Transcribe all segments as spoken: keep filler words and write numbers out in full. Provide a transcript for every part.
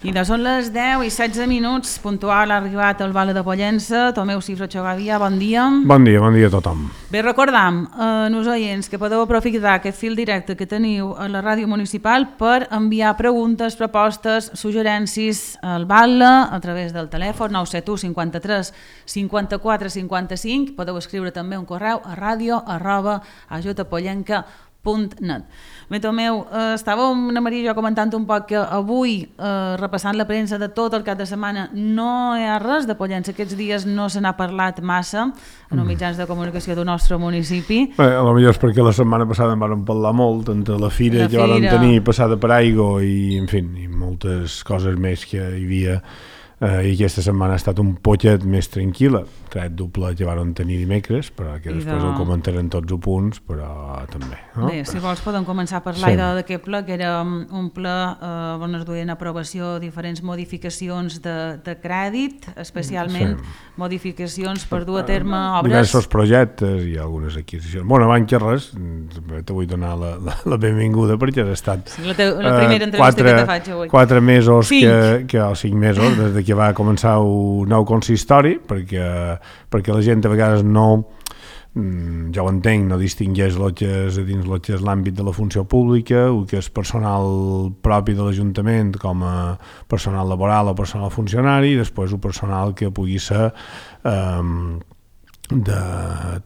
I de són les deu i setze minuts, puntual ha arribat el Vale de Pollença. Tomeu Cifra Xogavia, bon dia. Bon dia, bon dia a tothom. Bé, recordam, eh, nos oients, que podeu aprofitar aquest fil directe que teniu a la ràdio municipal per enviar preguntes, propostes, suggerències al Vale a través del telèfon nou set u cinquanta-tres cinquanta-quatre cinquanta-cinc. Podeu escriure també un correu a ràdio arroba ajutapollenca punt net. Bé, Tomeu, eh, estàvem, una Maria i jo, comentant un poc que avui, eh, repassant la premsa de tot el cap de setmana, no hi ha res de Pollença. Aquests dies no se n'ha parlat massa en els mitjans de comunicació del nostre municipi. Bé, a lo millor és perquè la setmana passada en vam parlar molt, entre la fira que vam tenir passada per aigua i, en fi, i moltes coses més que hi havia. Uh, i aquesta setmana ha estat un poquet més tranquil·la, tret doble que van tenir dimecres, però que després de... ho comentarem tots els punts, però també. No? Bé, si vols podem començar a parlar sí. d'aquest ple, que era un ple uh, on es duien a aprovació diferents modificacions de, de crèdit, especialment sí. modificacions per dur a terme obres... Diversos projectes i algunes adquisicions. Bueno, abans que res, te vull donar la, la, la benvinguda perquè has estat sí, la, te, la primera entrevista uh, quatre, que te faig avui. Quatre mesos, que, que, o cinc mesos, des de que va començar un nou consistori, perquè, perquè la gent a vegades no, ja ho entenc, no distingeix el que és dins el que és l'àmbit de la funció pública, el que és personal propi de l'Ajuntament com a personal laboral o personal funcionari, i després el personal que pugui ser eh, de,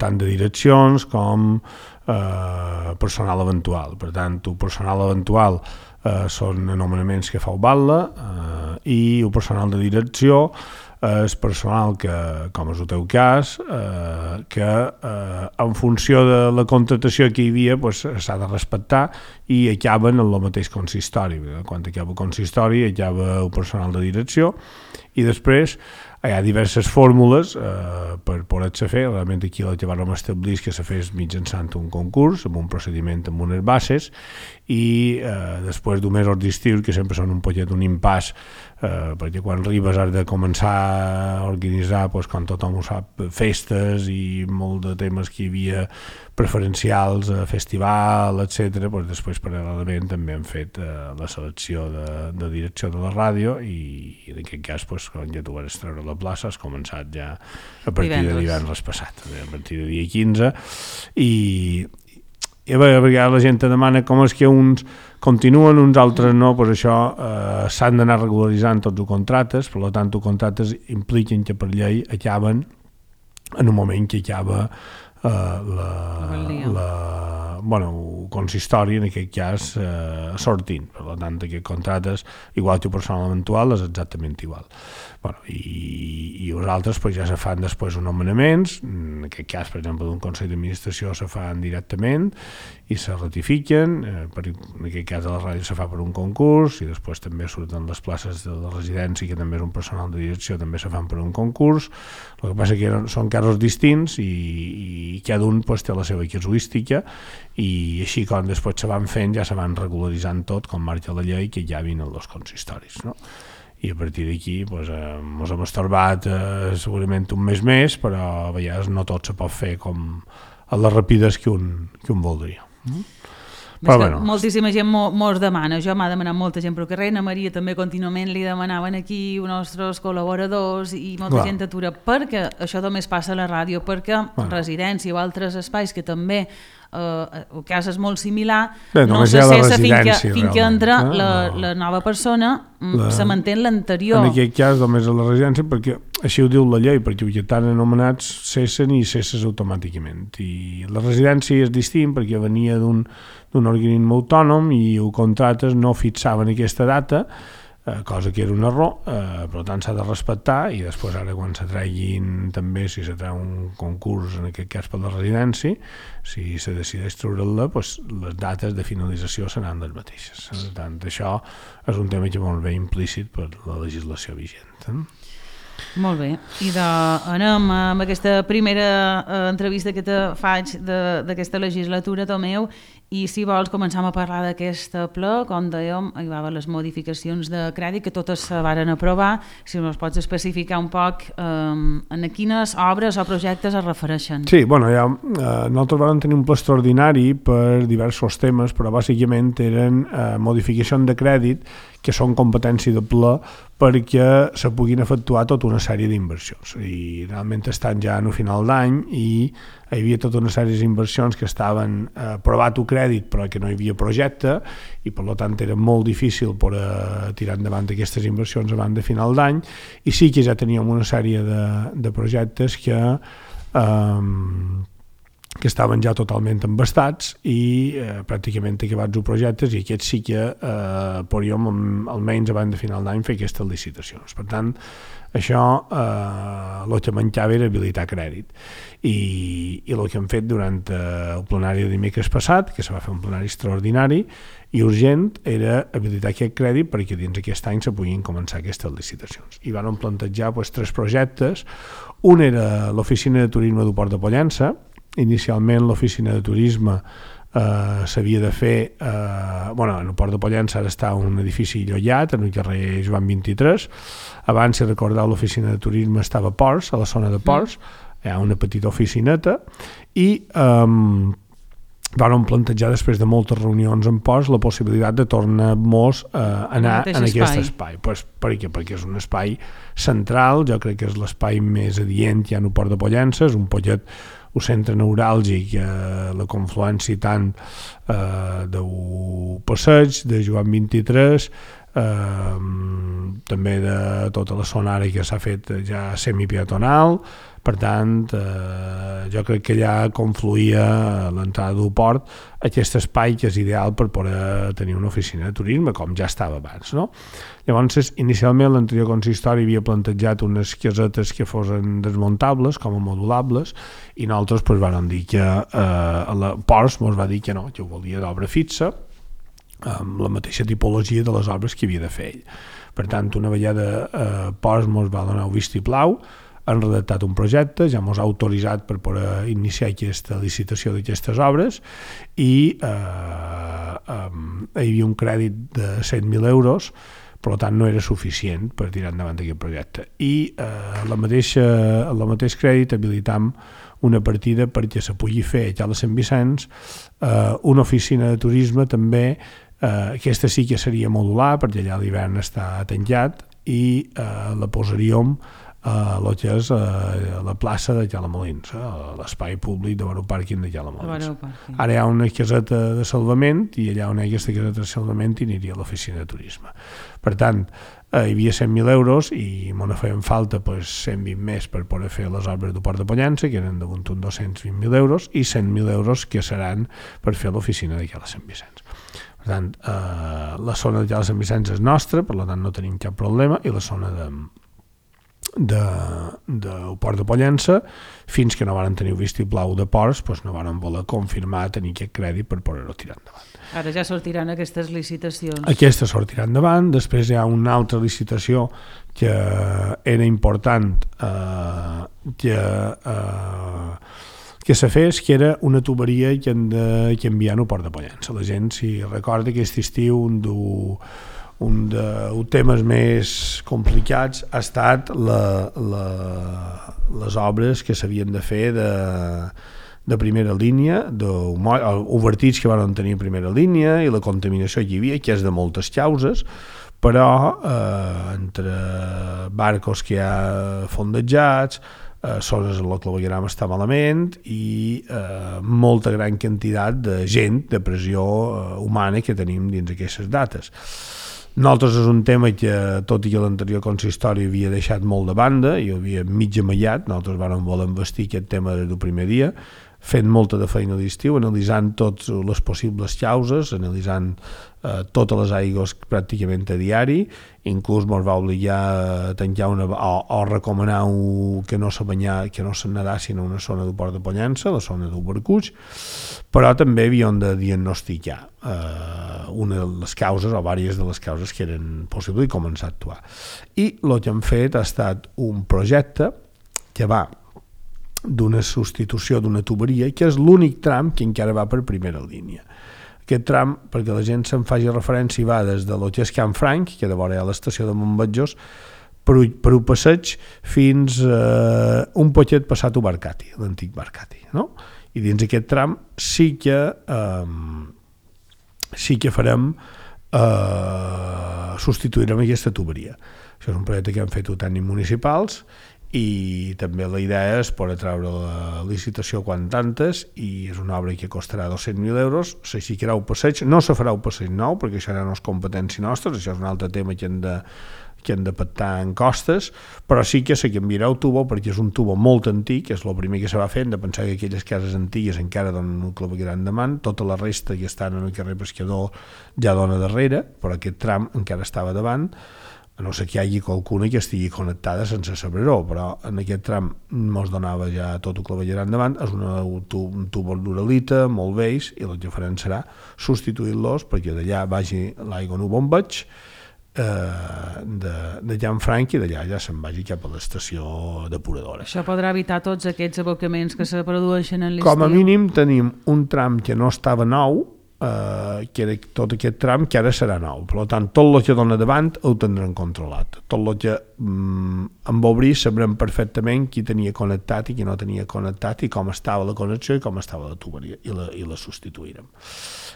tant de direccions com eh, personal eventual. Per tant, el personal eventual Uh, són anomenaments que fa el Batlle uh, i el personal de direcció és personal que, com és el teu cas, uh, que uh, en funció de la contratació que hi havia pues, s'ha de respectar i acaben en el mateix consistori. Quan acaba el consistori acaba el personal de direcció i després hi ha diverses fórmules eh, per poder-se fer. Realment aquí el que vam establir és que se fes mitjançant un concurs, amb un procediment amb unes bases, i eh, després d'un mesos d'estiu, que sempre són un poquet un impàs, eh, perquè quan arribes has de començar a organitzar, pues, com tothom ho sap, festes i molt de temes que hi havia preferencials, eh, festival, etcètera. Pues després, paral·lelament, també hem fet eh, la selecció de, de direcció de la ràdio i, i en aquest cas, pues, quan ja tu vas treure la plaça, has començat ja a partir divendres. de divendres passat, a partir de dia quinze, i, i a vegades la gent te demana com és que uns continuen, uns altres no, pues això eh, s'han d'anar regularitzant tots els contractes, per tant, els contractes impliquen que per llei acaben en un moment que acaba Uh, la, la, bueno, el consistori en aquest cas uh, sortint, per tant aquests contractes igual que el personal eventual és exactament igual. Bueno, i, i els altres pues, ja se fan després uns nomenaments, en aquest cas per exemple d'un consell d'administració se fan directament i se ratifiquen, eh, per, en aquest cas de la ràdio se fa per un concurs i després també surten les places de la residència que també és un personal de direcció, també se fan per un concurs. El que passa que són casos distints i, i cada un pues, té la seva casuística i així com després se van fent ja se van regularitzant tot com marca la llei que ja vinen els consistoris, no? I a partir d'aquí pues, eh, ens hem estorbat eh, segurament un mes més, però a vegades no tot se pot fer com a les rapides que un, que un voldria. Mm? Però, bueno. Moltíssima gent mos demana, jo m'ha demanat molta gent pel carrer, a Maria també contínuament li demanaven aquí els nostres col·laboradors i molta Clar. gent atura, perquè això només passa a la ràdio, perquè Clar. residència o altres espais que també Uh, el cas és molt similar, Bé, no se cessa fins que, fins que entra eh? la, la nova persona, la... se manté l'anterior. En aquest cas només a la residència, perquè així ho diu la llei, perquè els que estan anomenats cessen i cesses automàticament. I la residència és distint perquè venia d'un, d'un organisme autònom i el contractes no fixaven aquesta data, Eh, cosa que era un error, eh, per tant s'ha de respectar i després ara quan se treguin també, si se treu un concurs en aquest cas per la residència, si se decideix treure-la, doncs les dates de finalització seran les mateixes. Per tant, això és un tema que molt bé implícit per la legislació vigent. Eh? Molt bé, i de, anem amb aquesta primera eh, entrevista que te faig d'aquesta legislatura, Tomeu, i si vols començam a parlar d'aquest ple, com dèiem, hi va haver les modificacions de crèdit que totes se varen aprovar, si ens pots especificar un poc eh, en quines obres o projectes es refereixen. Sí, bueno, ja, eh, nosaltres vam tenir un ple extraordinari per diversos temes, però bàsicament eren eh, modificacions de crèdit que són competència de ple perquè se puguin efectuar tota una sèrie d'inversions. I realment estan ja en el final d'any i hi havia tota una sèrie d'inversions que estaven eh, aprovat un crèdit però que no hi havia projecte i per tant era molt difícil per eh, tirar endavant aquestes inversions abans de final d'any i sí que ja teníem una sèrie de, de projectes que eh, que estaven ja totalment embastats i eh, pràcticament acabats els projectes i aquests sí que eh, podríem almenys abans de final d'any fer aquestes licitacions. Per tant, això eh, el que mancava era habilitar crèdit i, i el que hem fet durant eh, el plenari de dimecres passat, que se va fer un plenari extraordinari i urgent, era habilitar aquest crèdit perquè dins aquest any se puguin començar aquestes licitacions. I van plantejar pues, tres projectes. Un era l'oficina de turisme del Port de Pollença. Inicialment l'oficina de turisme eh, s'havia de fer eh, bueno, en el Port de Pollença ara està un edifici llollat en el carrer Joan vint-i-tres. Abans, si recordeu, l'oficina de turisme estava a Ports, a la zona de Ports, hi ha una petita oficineta i eh, van plantejar després de moltes reunions en Ports la possibilitat de tornar-nos a eh, anar en aquest espai, pues, perquè, perquè és un espai central, jo crec que és l'espai més adient que hi ha en el Port de Pollença, és un pollet un centre neuràlgic, eh, la confluència tant eh, del passeig de Joan vint-i-tres, eh, també de tota la zona ara que s'ha fet ja semipeatonal. Per tant, eh, jo crec que allà confluïa a l'entrada del port aquest espai que és ideal per poder tenir una oficina de turisme, com ja estava abans, no? Llavors, inicialment l'anterior consistori havia plantejat unes casetes que fossin desmuntables, com a modulables, i nosaltres pues, vam dir que eh, a la Ports ens va dir que no, que ho volia d'obra fixa, amb la mateixa tipologia de les obres que havia de fer ell. Per tant, una vegada eh, Ports ens va donar un vistiplau, han redactat un projecte, ja ens ha autoritzat per poder iniciar aquesta licitació d'aquestes obres i eh, eh, hi havia un crèdit de set mil euros, per tant no era suficient per tirar endavant aquest projecte. I eh, la mateixa, el mateix crèdit habilitam una partida perquè se pugui fer a Cala Sant Vicenç eh, una oficina de turisme també, eh, aquesta sí que seria modular perquè allà l'hivern està tancat i eh, la posaríem a el que és a la plaça de Calamolins, a l'espai públic de l'aeropàrquing de Calamolins. Ara hi ha una caseta de salvament i allà on hi ha aquesta caseta de salvament hi aniria l'oficina de turisme. Per tant, eh, hi havia cent mil euros i me ne feien falta pues, cent vint més per poder fer les obres del Port de Pollença, que eren damunt uns dos-cents vint mil euros, i cent mil euros que seran per fer l'oficina de Cala Sant Vicenç. Per tant, eh, la zona de Cala Sant Vicenç és nostra, per tant no tenim cap problema, i la zona de de, del Port de Pollença, fins que no van tenir el vistiplau de Ports, doncs no van voler confirmar tenir aquest crèdit per poder-ho tirar endavant. Ara ja sortiran aquestes licitacions. Aquesta sortirà endavant, després hi ha una altra licitació que era important eh, que, eh, que se fes, que era una tuberia que han de que enviar al Port de Pollença. La gent, si recorda, aquest estiu un du un dels temes més complicats ha estat la, la, les obres que s'havien de fer de, de primera línia, els vertits que van tenir primera línia i la contaminació que hi havia, que és de moltes causes, però eh, entre barcos que hi ha fondejats, eh, zones en el clavegueram està malament i eh, molta gran quantitat de gent, de pressió eh, humana que tenim dins aquestes dates. Nosaltres és un tema que, tot i que l'anterior consistori havia deixat molt de banda i havia mig amallat, nosaltres vam voler investir aquest tema des del primer dia, fent molta de feina d'estiu, analitzant totes les possibles causes, analitzant eh, totes les aigües pràcticament a diari, inclús ens va obligar a tancar una, o, o recomanar un, que no se banyar, que no se nedassin a una zona del Port de Pollença, la zona del Barcuig, però també havíem de diagnosticar eh, una de les causes o diverses de les causes que eren possibles i començar a actuar. I el que hem fet ha estat un projecte que va d'una substitució d'una tuberia, que és l'únic tram que encara va per primera línia. Aquest tram, perquè la gent se'n faci referència, va des de lo que és Can Franc, que de vora hi ha l'estació de Montbatjós, per, per un passeig fins a eh, un poquet passat a Barcati, l'antic Barcati, no? I dins aquest tram sí que eh, sí que farem eh, substituirem aquesta tuberia. Això és un projecte que han fet tècnics municipals i també la idea és poder treure la licitació quan tantes i és una obra que costarà dos-cents mil euros, s'aixecarà un passeig, no se farà un passeig nou perquè això ja no és competència nostra, això és un altre tema que hem de, que hem de pactar en costes, però sí que se canviarà el tubo perquè és un tubo molt antic, és el primer que se va fer, hem de pensar que aquelles cases antigues encara donen un clavegueram davant, tota la resta que estan en el carrer Pescador ja dona darrere, però aquest tram encara estava davant, a no ser que hi hagi qualcuna que estigui connectada sense saber-ho, però en aquest tram mos donava ja tot el clavegueram endavant, és una, un tubo d'uralita, molt vells, i el que farem serà substituir-los perquè d'allà vagi l'aigua en un bombeig eh, de, de Llanfranc i d'allà ja se'n vagi cap a l'estació depuradora. Això podrà evitar tots aquests abocaments que se produeixen en l'estiu? Com a mínim tenim un tram que no estava nou, Uh, que era tot aquest tram que ara serà nou, per tant tot el que dona davant ho tindrem controlat, tot el que um, amb obrir sabrem perfectament qui tenia connectat i qui no tenia connectat i com estava la connexió i com estava la tuberia i la, i la substituirem.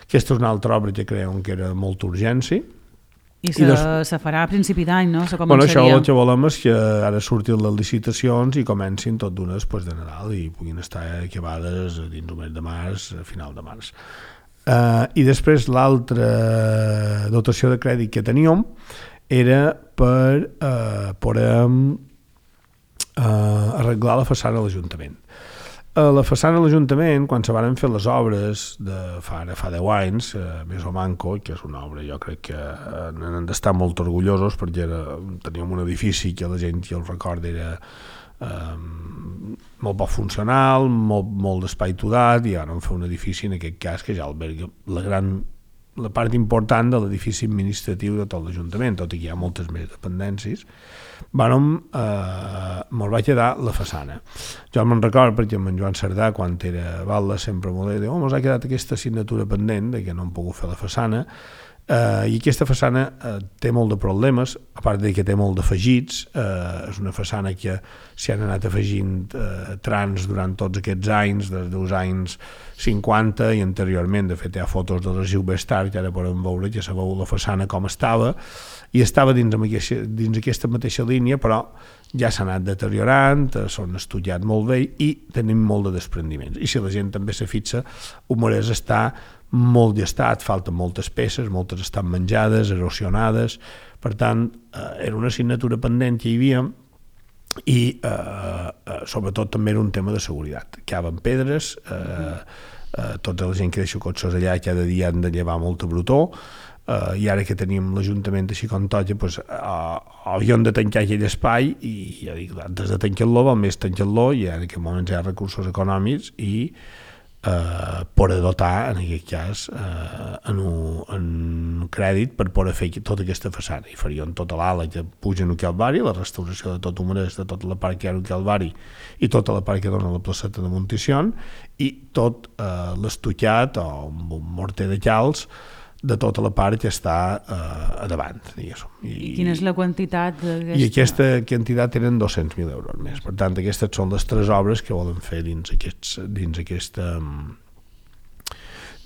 Aquesta és una altra obra que creuen que era molta urgència i se, I des... se farà a principi d'any, no? Se bueno, això el que volem és que ara surtin les licitacions i comencin tot d'una després de Nadal i puguin estar acabades dins el mes de març, a final de març. Uh, i després l'altra dotació de crèdit que teníem era per uh, poder uh, arreglar la façana de l'Ajuntament. Uh, la façana de l'Ajuntament, quan se van fer les obres de fa, fa deu anys, uh, més o manco, que és una obra jo crec que uh, n'han d'estar molt orgullosos perquè era, teníem un edifici que la gent que el recorda era Um, molt poc funcional, molt, molt d'espai todat i ara vam fer un edifici en aquest cas que ja alberga la gran la part important de l'edifici administratiu de tot l'Ajuntament, tot i que hi ha moltes més dependències. Vàrem, eh, me'l va quedar la façana. Jo me'n record perquè amb en Joan Cerdà quan era batlle sempre m'ho deia, oh, mos ha quedat aquesta assignatura pendent de que no hem pogut fer la façana. Uh, i aquesta façana uh, té molt de problemes, a part de que té molt d'afegits, uh, és una façana que s'hi han anat afegint uh, trans durant tots aquests anys, des dels anys cinquanta i anteriorment. De fet hi ha fotos de l'arxiu Bestart que ara podem veure que se veu la façana com estava i estava dins, aquesta, dins aquesta mateixa línia, però ja s'ha anat deteriorant, són estudiat molt bé i tenim molt de desprendiments. I si la gent també se fixa, un Morès està molt gestat, falten moltes peces, moltes estan menjades, erosionades, per tant, eh, era una assignatura pendent que hi havia i eh, eh, sobretot també era un tema de seguretat. Caben pedres, eh, eh, tota la gent que deixa cotxes allà cada dia han de llevar molta brutor, eh, i ara que tenim l'Ajuntament així com toca, pues, eh, havíem de tancar aquell espai i ja dic, antes de tancar-lo, val més tancar-lo i en aquest moment hi ha recursos econòmics i Uh, poder dotar, en aquest cas, uh, en, un, en un crèdit per poder fer tota aquesta façana. I farien tota l'ala que puja en el Calvari, la restauració de tot Humorès, de tota la part que hi ha en el Calvari i tota la part que dona la placeta de Monticion i tot uh, l'estucat o un morter de calç de tota la part que està uh, a davant. I, I quina és la quantitat d'aquesta? I aquesta quantitat eren dos-cents mil euros més. Per tant, aquestes són les tres obres que volen fer dins, aquests, dins aquesta...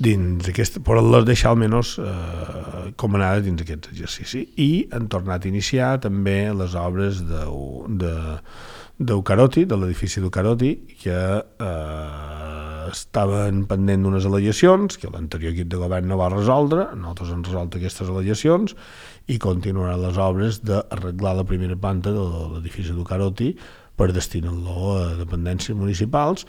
dins aquesta... per les deixar almenys uh, com anava dins aquest exercici. I han tornat a iniciar també les obres de, de, d'Eucaroti, de l'edifici d'Eucaroti, que eh, estaven pendent d'unes al·legacions que l'anterior equip de govern no va resoldre. Nosaltres hem resolt aquestes al·legacions i continuaran les obres d'arreglar la primera planta de l'edifici d'Eucaroti per destinar-lo a dependències municipals.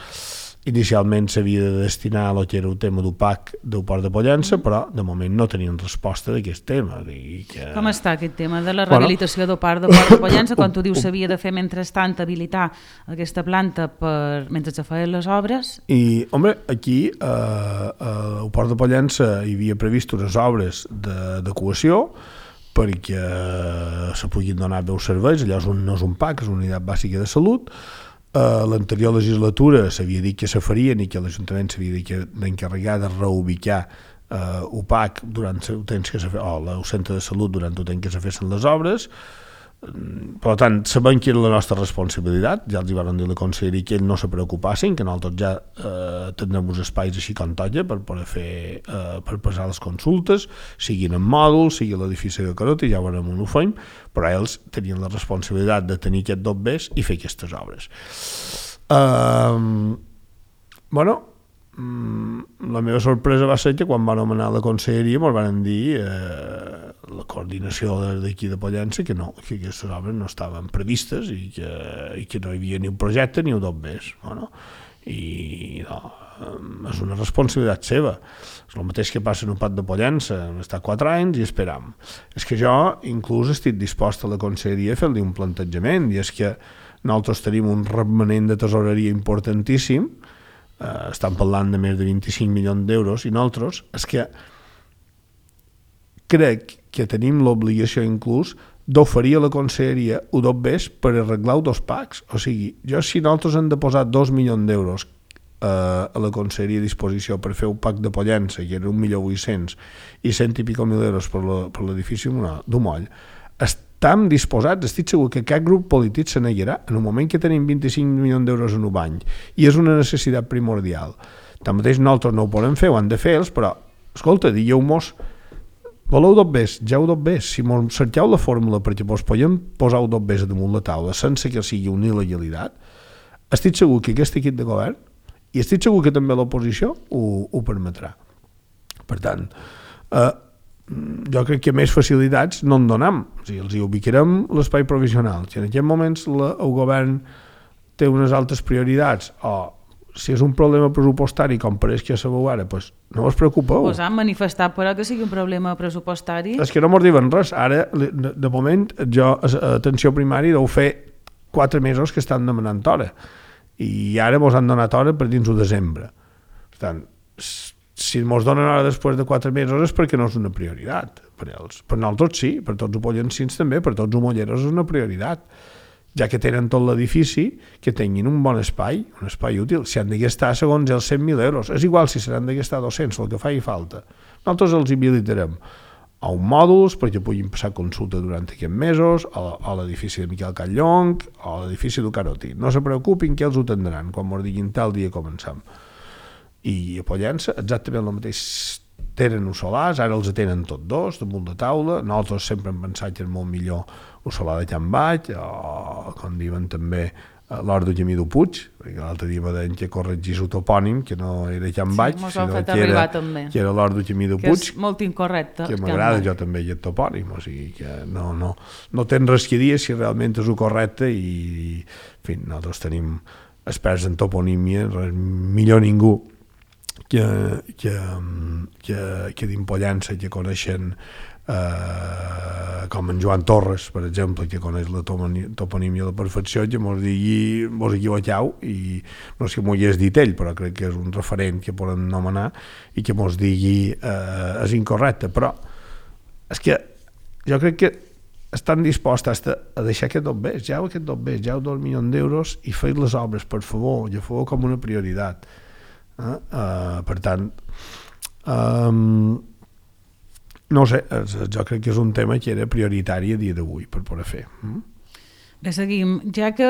Inicialment s'havia de destinar a lo que era el tema d'U P A C del Port de Pollença, però de moment no tenien resposta d'aquest tema. Que... Com està aquest tema de la rehabilitació bueno, del Port de Port de Pollença? Quan tu dius s'havia de fer mentrestant habilitar aquesta planta per, mentre se feien les obres? I, home, aquí eh, al Port de Pollença hi havia previst unes obres d'adequació perquè se puguin donar bé els serveis. Allò és un, no és un P A C, és una unitat bàsica de salut. Uh, l'anterior legislatura s'havia dit que se farien i que l'Ajuntament s'havia dit que d'encarregar de reubicar uh, U P A C durant el temps que se fe, o el centre de salut durant el temps que se fessin les obres. Per tant, sabem que era la nostra responsabilitat, ja els hi van dir la conselleria que ells no se preocupassin, que nosaltres ja eh, tenim uns espais així com tolla per poder fer, eh, per passar les consultes, siguin en mòduls, sigui a l'edifici de Carota, ja veurem on ho fem, però ells tenien la responsabilitat de tenir aquests dobbers i fer aquestes obres. Eh, bueno, la meva sorpresa va ser que quan van anomenar la conselleria ens van dir eh, la coordinació d'aquí de Pollença que no, que aquestes obres no estaven previstes i que, i que no hi havia ni un projecte ni un dobbers. Bueno, i no, és una responsabilitat seva. És el mateix que passa en un pat de Pollença, hem estat quatre anys i esperam. És que jo inclús estic dispost a la conselleria a fer-li un plantejament, i és que nosaltres tenim un remanent de tesoreria importantíssim. Uh, estan parlant de més de vint-i-cinc milions d'euros i nosaltres és que crec que tenim l'obligació inclús d'oferir a la conselleria un dobbers per arreglar dos packs. O sigui, jo si nosaltres hem de posar dos milions d'euros uh, a la conselleria a disposició per fer un pack de Pollença, que era un milió vuit-cents, i cent i pico mil euros per l'edifici d'Umoll, estem disposats, estic segur que cap grup polític se negarà en un moment que tenim vint-i-cinc milions d'euros en un any i és una necessitat primordial. Tanmateix nosaltres no ho podem fer, ho han de fer ells, però escolta, digueu-mos voleu dobbers, ja ho dobbers, si mos cerqueu la fórmula perquè vos podem posar el dobbers damunt la taula sense que sigui una il·legalitat, estic segur que aquest equip de govern i estic segur que també l'oposició ho, ho permetrà. Per tant, eh, jo crec que més facilitats no en donem, o sigui, els hi ubicarem l'espai provisional. Si en aquests moments la, el govern té unes altres prioritats o si és un problema pressupostari com pareix que sabeu ara, doncs no us preocupeu. Us han manifestat però que sigui un problema pressupostari? És que no mos diuen res. Ara, de, de moment, jo a atenció primària deu fer quatre mesos que estan demanant hora i ara mos han donat hora per dins de desembre. Per tant, si ens donen hora després de quatre mesos és perquè no és una prioritat per ells. Per nosaltres sí, per tots els pollencins també, per tots els molleros és una prioritat. Ja que tenen tot l'edifici, que tinguin un bon espai, un espai útil. Si han de gastar segons els cent mil euros, és igual si seran de gastar dos-cents, el que faci falta. Nosaltres els habilitarem a un mòduls perquè puguin passar consulta durant aquests mesos, a l'edifici de Miquel Catllong, o a l'edifici de Carotí. No se preocupin que els ho tindran quan ens diguin tal dia començam. I a Pollença exactament el mateix, tenen els solars, ara els tenen tots dos damunt de taula. Nosaltres sempre hem pensat que és molt millor el solar de Can Baix, o com diuen també l'Hort de Camí del Puig, perquè l'altre dia va dir que corregís el topònim, que no era Can Baix, sí, sinó que era, que era l'Hort de Camí del Puig, que és molt incorrecte, que m'agrada jo també aquest topònim, o sigui que no, no, no tens res que dir si realment és el correcte, i en fi, nosaltres tenim experts en toponímia, millor ningú que, que, que, que d'Impollença, que coneixen eh, com en Joan Torres, per exemple, que coneix la toponímia a la perfecció, que mos digui, mos equivoqueu, i no sé si m'ho hagués dit ell, però crec que és un referent que poden nomenar i que mos digui eh, és incorrecte, però és que jo crec que estan disposats a deixar aquest dobbers, ja aquest dobbers, ja dos milions d'euros i fer les obres, per favor, ja feu com una prioritat. Uh, uh, per tant um, no sé, jo crec que és un tema que era prioritari a dia d'avui per poder fer. Mm? Bé, seguim. Ja que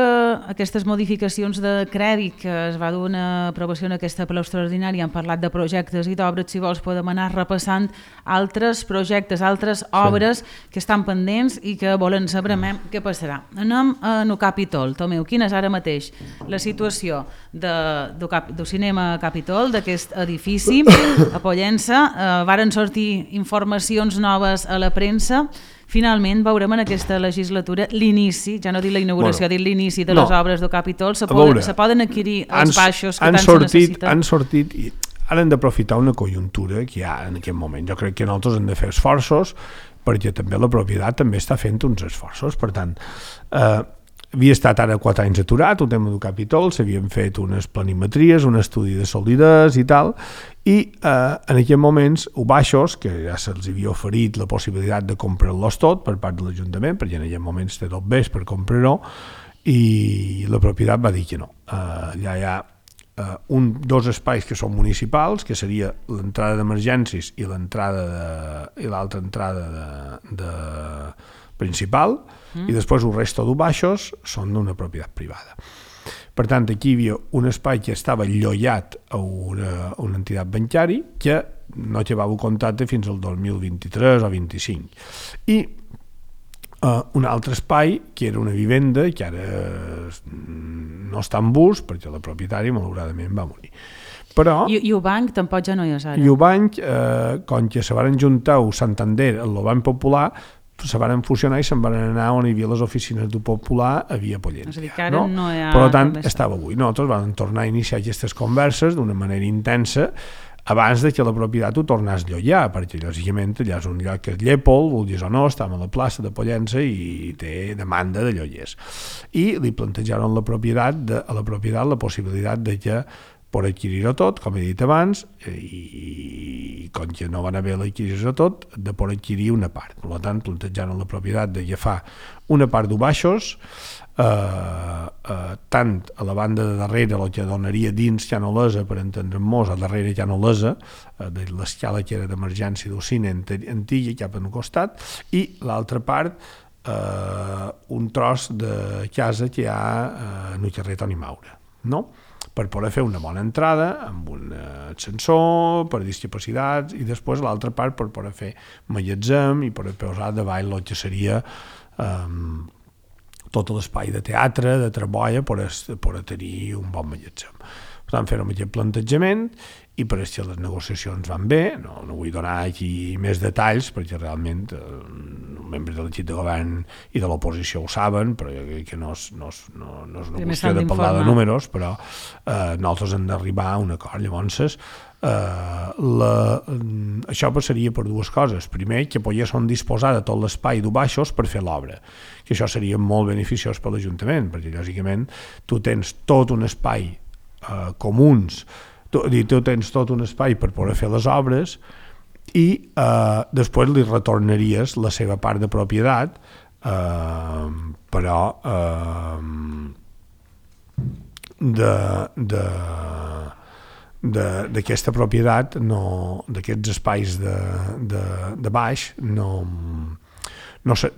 aquestes modificacions de crèdit que es va dur una aprovació en aquesta ple extraordinària han parlat de projectes i d'obres, si vols podem anar repassant altres projectes, altres obres sí. que estan pendents i que volen saber mm. què passarà. Anem a no Capitol. Tomeu, quina és ara mateix la situació de, de, del cinema Capitol, d'aquest edifici a Pollença? Eh, varen sortir informacions noves a la premsa. Finalment veurem en aquesta legislatura l'inici, ja no dic la inauguració, bueno, dic l'inici de no. les obres del Capitol, se poden, se poden adquirir els han, baixos que tant sortit, se necessiten. Han sortit, i ara hem d'aprofitar una conjuntura que hi ha en aquest moment. Jo crec que nosaltres hem de fer esforços, perquè també la propietat també està fent uns esforços. Per tant, eh, havia estat ara quatre anys aturat, el tema del Capitol, s'havien fet unes planimetries, un estudi de solidesa i tal, i eh, en aquells moments, o baixos, que ja se'ls havia oferit la possibilitat de comprar-los tot per part de l'Ajuntament, perquè en aquells moments té tot bé per comprar-ho, i la propietat va dir que no. Eh, ja hi ha eh, un, dos espais que són municipals, que seria l'entrada d'emergències i l'entrada de, i l'altra entrada de, de principal, mm. i després el resto de baixos són d'una propietat privada. Per tant, aquí hi havia un espai que estava llollat a una, a una entitat bancària que no llevava contacte fins al dos mil vint-i-tres o vint-i-cinc. I uh, un altre espai, que era una vivenda, que ara no està en ús, perquè la propietària, malauradament, va morir. Però, I, I el banc tampoc ja no hi és ara. I el banc, eh, com que se van juntar el Santander, el Banc Popular, se van fusionar i se'n van anar on hi havia les oficines del Popular a Via Pollentia. És a dir, que ara no, no hi ha... Per tant, estava avui. Nosaltres vam tornar a iniciar aquestes converses d'una manera intensa abans de que la propietat ho tornés a llollar, perquè lògicament allà és un lloc que és Llépol, vulguis o no, estava a la plaça de Pollença i té demanda de llollers. I li plantejaron la propietat de, a la propietat la possibilitat de que per adquirir-ho tot, com he dit abans, i com que no van haver l'adquirir-ho tot, de per adquirir una part. Per tant, plantejant la propietat d'agafar una part de baixos, eh, eh, tant a la banda de darrere, el que donaria dins Llanolesa, per entendre'ns, a darrere Llanolesa, eh, de l'escala que era d'emergència del cine antiga, cap en el costat, i l'altra part, eh, un tros de casa que hi ha eh, en el carrer Toni Maura, no?, per poder fer una bona entrada amb un ascensor per discapacitats i després l'altra part per poder fer magatzem i per posar davall el que seria um, tot l'espai de teatre, de treball per, per tenir un bon magatzem. Per tant, fèrem aquest plantejament i per això les negociacions van bé. No, no vull donar aquí més detalls perquè realment eh, els membres de l'equip de govern i de l'oposició ho saben, però jo crec que no és, no és, no, no és una qüestió de parlar de números, però eh, nosaltres hem d'arribar a un acord. Llavors, eh, la, això passaria per dues coses. Primer, que poguessin disposar de tot l'espai de baixos per fer l'obra, que això seria molt beneficiós per l'Ajuntament, perquè lògicament tu tens tot un espai eh, comuns, tu, tu tens tot un espai per poder fer les obres i eh, després li retornaries la seva part de propietat, eh, però eh, de, de, de, d'aquesta propietat, no, d'aquests espais de, de, de baix, no, no sé,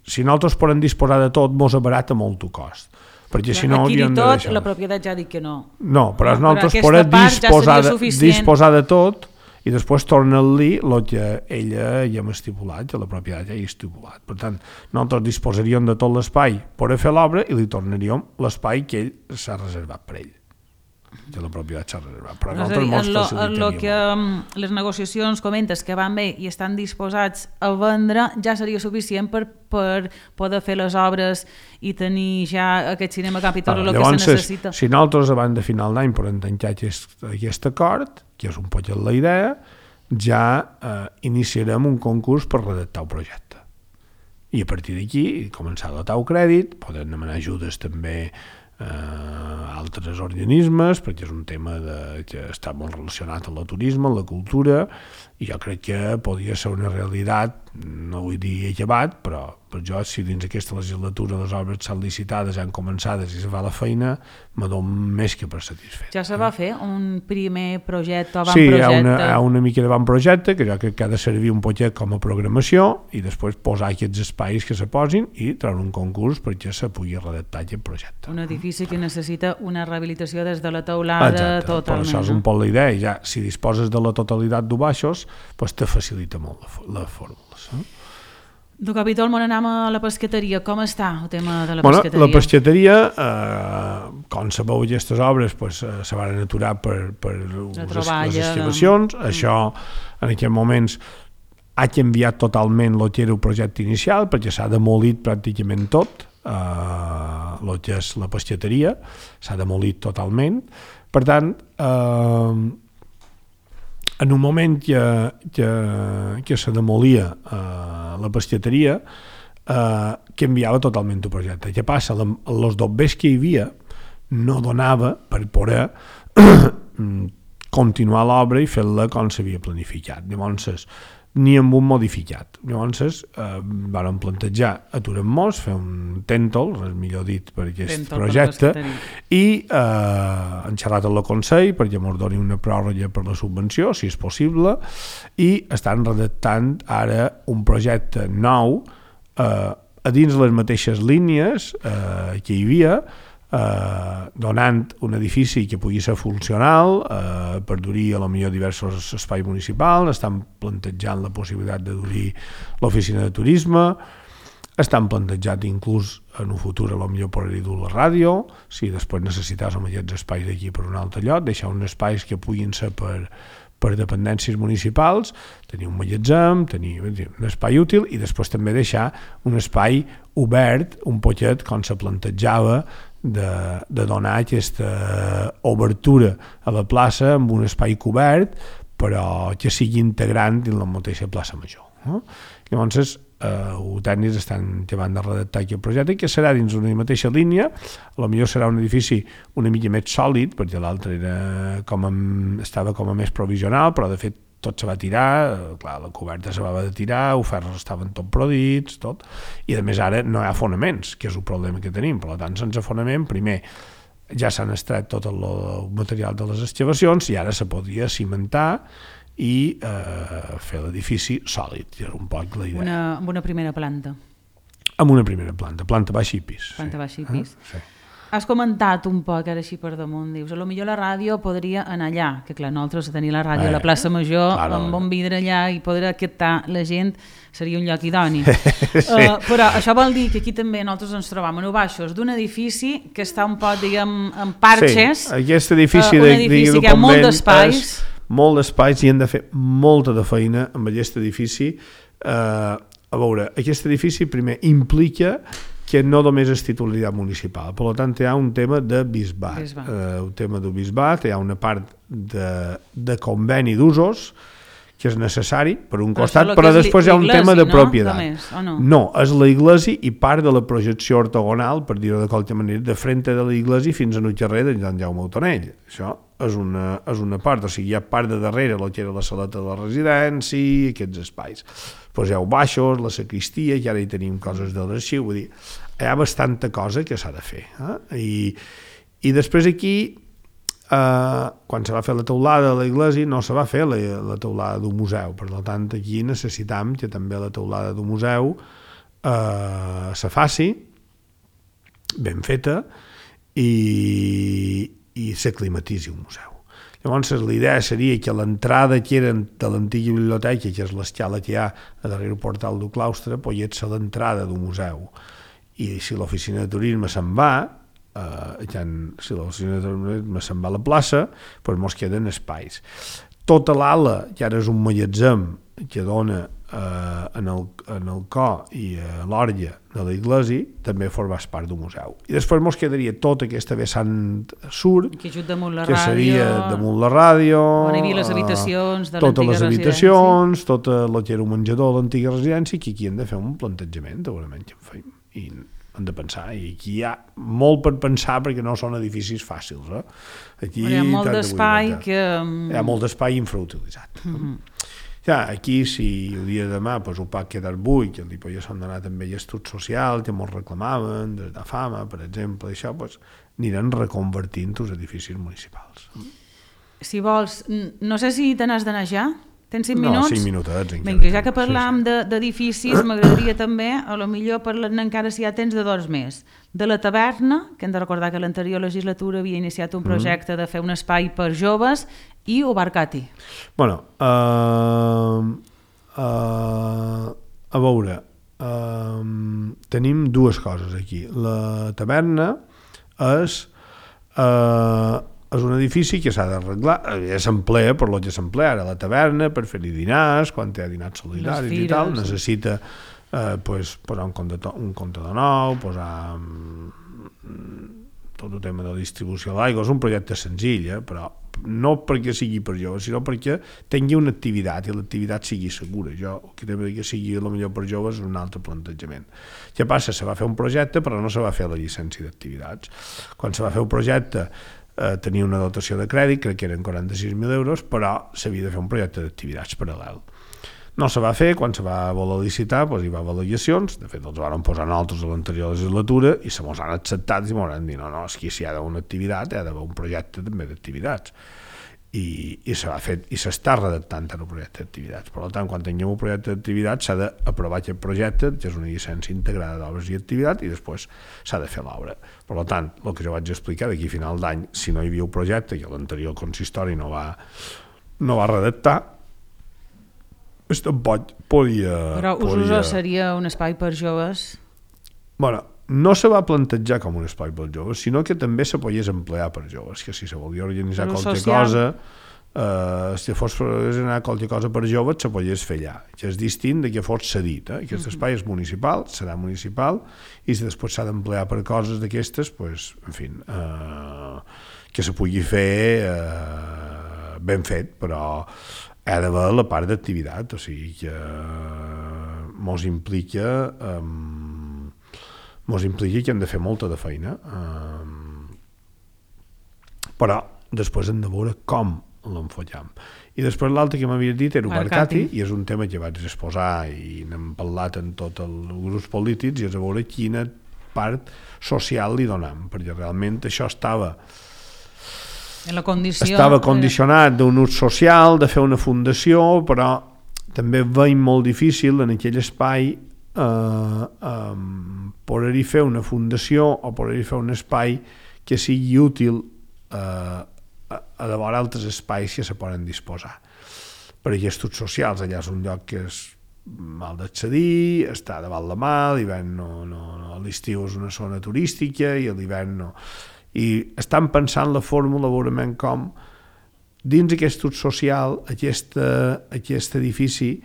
si nosaltres podem disposar de tot, mos abarata molt el cost. Perquè si no adquirir tot, deixar... la propietat ja dic que no. No, però no, nosaltres podem disposar, ja de, disposar de tot i després torna-li el que ella ja hem estipulat, que la propietat ja hi ha estipulat. Per tant, nosaltres disposaríem de tot l'espai per a fer l'obra i li tornaríem l'espai que ell s'ha reservat per ell, que la propietat s'ha reservat. Però no, nosaltres mos facilitaríem. En el que um, les negociacions comentes que van bé i estan disposats a vendre ja seria suficient per, per poder fer les obres i tenir ja aquest cinema Capitol, ah, el que se necessita. Si nosaltres abans de final d'any podem tancar aquest, aquest acord, que és un poc la idea, ja eh, iniciarem un concurs per redactar el projecte. I a partir d'aquí començar a dotar el crèdit, podem demanar ajudes també a altres organismes, perquè és un tema de, que està molt relacionat amb el turisme, amb la cultura, i jo crec que podria ser una realitat, no vull dir acabat, però per jo, si dins aquesta legislatura les obres s'han licitades, han començades i se fa la feina, me dono més que per satisfet. Ja se va fer un primer projecte o van sí, projecte? Sí, hi, hi ha una mica de van projecte, que jo crec que ha de servir un poquet com a programació i després posar aquests espais que se posin i treure un concurs perquè se pugui redactar aquest projecte. Un edifici que necessita una rehabilitació des de la teulada. Exacte, totalment. Per això és un poc la idea. Ja, si disposes de la totalitat de baixos, pues te facilita molt la, la fórmula. Eh? Do Capitol, on anem a la pesqueteria. Com està el tema de la bueno, pesqueteria? La pesqueteria, eh, com sabeu, aquestes obres pues, eh, se van aturar per, per les, les excavacions. De... Això, en aquests moments, ha canviat totalment el que era el projecte inicial, perquè s'ha demolit pràcticament tot, eh, el que és la pesqueteria, s'ha demolit totalment. Per tant, eh, en un moment que, que, que se demolia eh, la pesqueteria, eh, canviava totalment el projecte. Què passa? Els dobbers que hi havia no donava per poder continuar l'obra i fer-la com s'havia planificat. Llavors, ni amb un modificat. Llavors, eh, vam plantejar aturem-nos, fer un tèntol, res millor dit per aquest tèntol projecte, i eh, hem xerrat amb el Consell perquè ens doni una pròrroga per la subvenció, si és possible, i estan redactant ara un projecte nou eh, a dins les mateixes línies eh, que hi havia, eh, donant un edifici que pugui ser funcional, eh, per dur-hi a lo millor diversos espais municipals, estan plantejant la possibilitat de dur-hi l'oficina de turisme, estan plantejat inclús en un futur a lo millor poder-hi dur la ràdio, si després necessites amb aquests espais d'aquí per un altre lloc, deixar uns espais que puguin ser per, per dependències municipals, tenir un magatzem, tenir un espai útil i després també deixar un espai obert, un poquet com se plantejava de, de donar aquesta obertura a la plaça amb un espai cobert però que sigui integrant dins la mateixa plaça Major. No? Llavors, eh, els tècnics estan acabant de redactar aquest projecte que serà dins una mateixa línia, potser serà un edifici una mica més sòlid, perquè l'altre era com a, estava com a més provisional, però de fet tot se va tirar, clar, la coberta se va de tirar, els ferros estaven tot prodits, tot, i a més ara no hi ha fonaments, que és el problema que tenim, per tant, sense fonament, primer, ja s'han extret tot el material de les excavacions i ara se podria cimentar i eh, fer l'edifici sòlid, que era un poc la idea. Una, amb una primera planta. Amb una primera planta, planta baixa i pis. Planta sí. baixa i pis. Ah, sí. Has comentat un poc ara així per damunt, dius, a lo millor la ràdio podria anar allà, que clar, nosaltres tenir la ràdio eh, a la plaça Major, claro, amb un vidre allà i poder captar la gent seria un lloc idoni. sí. uh, però això vol dir que aquí també nosaltres ens trobam en baixos d'un edifici que està un poc, diguem, en parxes. Sí, aquest edifici, uh, un de, edifici de, que hi ha molt d'espais. Molt d'espais i hem de fer molta de feina amb aquest edifici. Uh, a veure, aquest edifici primer implica que no només és titularitat municipal, per tant hi ha un tema de bisbat, bisbat. Uh, un tema de bisbat, hi ha una part de, de conveni d'usos que és necessari per un costat, però, però després hi ha un tema de no? propietat. Més, no? no, és la iglesia i part de la projecció ortogonal, per dir-ho de qualque manera, de frente de la iglesia fins a un carrer de Sant Jaume Autonell. Això és una, és una part, o sigui, hi ha part de darrere, el que era la saleta de la residència, aquests espais. Doncs hi ha baixos, la sacristia, i ara hi tenim coses de l'arxiu, vull dir, hi ha bastanta cosa que s'ha de fer. Eh? I, I després aquí, Uh, quan se va fer la teulada de l'església no se va fer la, la teulada d'un museu, per tant aquí necessitam que també la teulada d'un museu uh, se faci ben feta i, i s'aclimatitzi un museu. Llavors la idea seria que l'entrada que eren de l'antiga biblioteca, que és l'escala que hi ha a darrere el portal del claustre, pogués ser l'entrada d'un museu, i si l'oficina de turisme se'n va, Uh, si l'oficina de turisme se'n va a la plaça, doncs mos queden espais. Tota l'ala, que ara és un magatzem que dona uh, en, el, en el cor i a uh, l'orlla de l'església, també formàs part d'un museu. I després mos quedaria tota aquesta vessant sur, que, damunt la que ràdio, seria damunt la ràdio, on hi havia les habitacions de totes l'antiga les habitacions, tot el que era un menjador de l'antiga residència, que aquí hem de fer un plantejament, segurament, que en feim, i hem de pensar, i aquí hi ha molt per pensar perquè no són edificis fàcils. Eh? Aquí hi ha molt d'espai que... Hi ha molt d'espai infrautilitzat. Mm-hmm. Ja, aquí, si el dia de demà pues, ho pot quedar buit, que li podia s'han donat també estudi social, que molts reclamaven, des de fama, per exemple, això, pues, aniran reconvertint els edificis municipals. Si vols, no sé si te n'has d'anar ja? Tens cinc minuts? No, cinc minutets. Vinga, ja que parlam sí, sí. d'edificis, m'agradaria també, a lo millor parlant encara si hi ha temps de dos més, de la taverna, que hem de recordar que l'anterior legislatura havia iniciat un projecte mm. de fer un espai per joves, i Obarcati. Bueno, uh, uh, a veure, uh, tenim dues coses aquí. La taverna és... Uh, és un edifici que s'ha d'arreglar, ja s'emplea per lo que s'emplea ara la taverna, per fer-hi dinars, quan hi ha dinars solidaris fires, i tal, necessita eh, pues, posar un comptador, un comptador nou, posar mm, tot el tema de la distribució de l'aigua, és un projecte senzill, eh, però no perquè sigui per joves, sinó perquè tingui una activitat i l'activitat sigui segura. Jo, el que també que sigui el millor per joves és un altre plantejament. Què passa? Se va fer un projecte però no se va fer la llicència d'activitats. Quan se va fer un projecte Eh, tenia una dotació de crèdit, crec que eren quaranta-sis mil euros, però s'havia de fer un projecte d'activitats paral·lel. No se va fer, quan se va voler licitar, doncs hi va haver al·legacions, de fet els van posar nosaltres a l'anterior legislatura i se mos han acceptat i m'ho han dit, no, no, és que si hi ha d'haver una activitat, hi ha d'haver un projecte també d'activitats. i, i s'ha fet i s'està redactant en el projecte d'activitats. Per tant, quan tinguem un projecte d'activitats s'ha d'aprovar aquest projecte, que és una llicència integrada d'obres i activitats, i després s'ha de fer l'obra. Per tant, el que jo vaig explicar, d'aquí a final d'any, si no hi havia un projecte que l'anterior consistori no va, no va redactar, es tampoc podia... Però Usos podia... seria un espai per joves? Bueno, no se va plantejar com un espai per joves, sinó que també se podies emplear per joves, que si se volia organitzar qualque cosa, eh, si fos per organitzar qualque cosa per joves, se podies fer allà, que és distint de que fos cedit. Eh? Aquest espai és municipal, serà municipal, i si després s'ha d'emplear per coses d'aquestes, pues, en fi, eh, que se pugui fer eh, ben fet, però ha d'haver la part d'activitat, o sigui que mos implica... Eh, mos implica que hem de fer molta de feina, eh, però després hem de veure com l'enfollem. I després l'altre que m'havies dit era Ubarcati, i és un tema que vaig exposar i n'hem parlat en tots els grups polítics, i és a veure quina part social li donem, perquè realment això estava en la condició, estava condicionat d'un ús social, de fer una fundació, però també veiem molt difícil en aquell espai Uh, um, poder-hi fer una fundació o poder-hi fer un espai que sigui útil uh, a, a llavors altres espais que se poden disposar. Per aquests socials, allà és un lloc que és mal d'accedir, està davant la mà, a l'hivern no, no, no, a l'estiu és una zona turística i a l'hivern no. I estan pensant la fórmula veurement com dins aquest ús social, aquesta, aquest edifici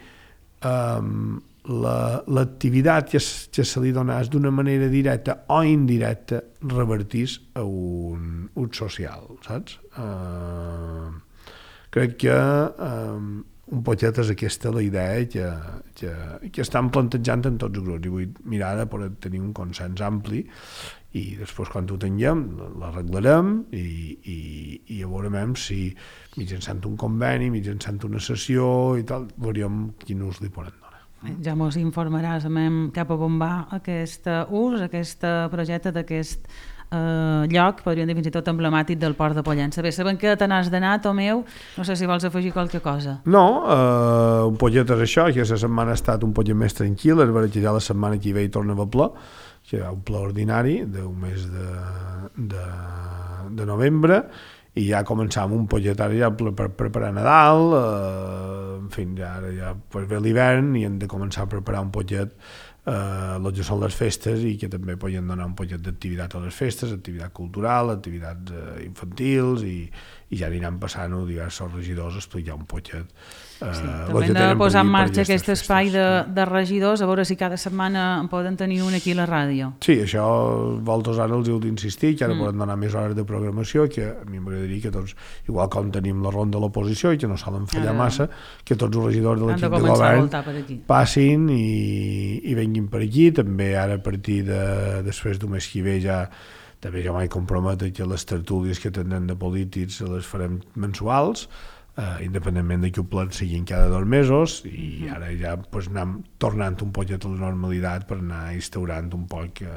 um, l'activitat que, que se li donàs d'una manera directa o indirecta revertís a un ús social, saps? Uh, crec que um, un poquet és aquesta la idea que, que, que estan plantejant en tots els grups, i vull mirar de poder tenir un consens ampli, i després quan ho tinguem l'arreglarem i, i, i ja veurem si mitjançant un conveni, mitjançant una sessió i tal, veuríem quin ús li poden donar. Ja mos informaràs cap a on va aquest ús, aquest projecte d'aquest eh, lloc, podríem dir fins i tot emblemàtic del Port de Pollença. Bé, sabem que te n'has d'anar, Tomeu, no sé si vols afegir qualque cosa. No, eh, un poquet és això, que la setmana ha estat un poquet més tranquil, és vera que ja la setmana que ve hi torna a ple, que hi ha un ple ordinari d'un mes de, de, de novembre, i ja començàvem un poquet ara ja per, per preparar Nadal, eh, en fi, ja, ja pues ve l'hivern i hem de començar a preparar un poquet eh, el que són les festes, i que també podem donar un poquet d'activitat a les festes, activitat cultural, activitats eh, infantils, i, i ja aniran passant-ho diversos regidors a explicar un poquet eh, sí, també hem de posar en marxa aquest espai de, de regidors, a veure si cada setmana poden tenir un aquí a la ràdio. Sí, això vosaltres ara els heu d'insistir, que ara mm. poden donar més hores de programació, que a mi m'agradaria que tots, igual com tenim la ronda de l'oposició i que no solen fallar ara, massa, que tots els regidors de l'equip de, de govern passin i, i venguin per aquí. També ara a partir de després d'un mes que ve ja també ja m'he compromès que les tertúlies que tindrem de polítics les farem mensuals, eh, independentment de que ho plet siguin cada dos mesos, i ara ja pues, anem tornant un poquet a la normalitat per anar instaurant un poc eh,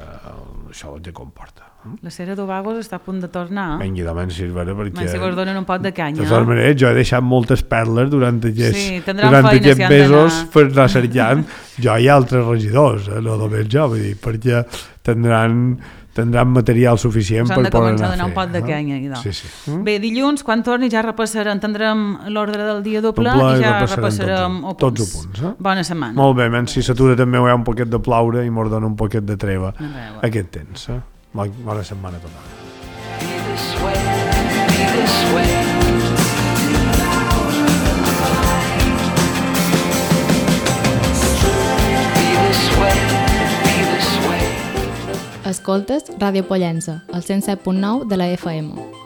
això que comporta. La Cera d'Ovagos està a punt de tornar. Vengui de menys, si és vera, perquè... Menys si vos donen un pot de canya. De totes maneres, jo he deixat moltes perles durant aquests, sí, durant aquests si mesos per anar cercant jo i altres regidors, eh, no només jo, vull dir, perquè tindran... tindran material suficient per poder anar a fer. S'han de començar a donar un pot de canya. No? Sí, sí. Mm? Bé, dilluns, quan torni, ja repassarem, tindrem l'ordre del dia doble, doble i ja repassarem tots, tots els punts. Eh? Bona setmana. Molt bé, menys si s'atura també hi ha un poquet de plaure i mos dona un poquet de treva aquest temps. Eh? Bona setmana a tothom. Be this way, be this way. Escoltes Ràdio Pollença, al cent set punt nou de la F M.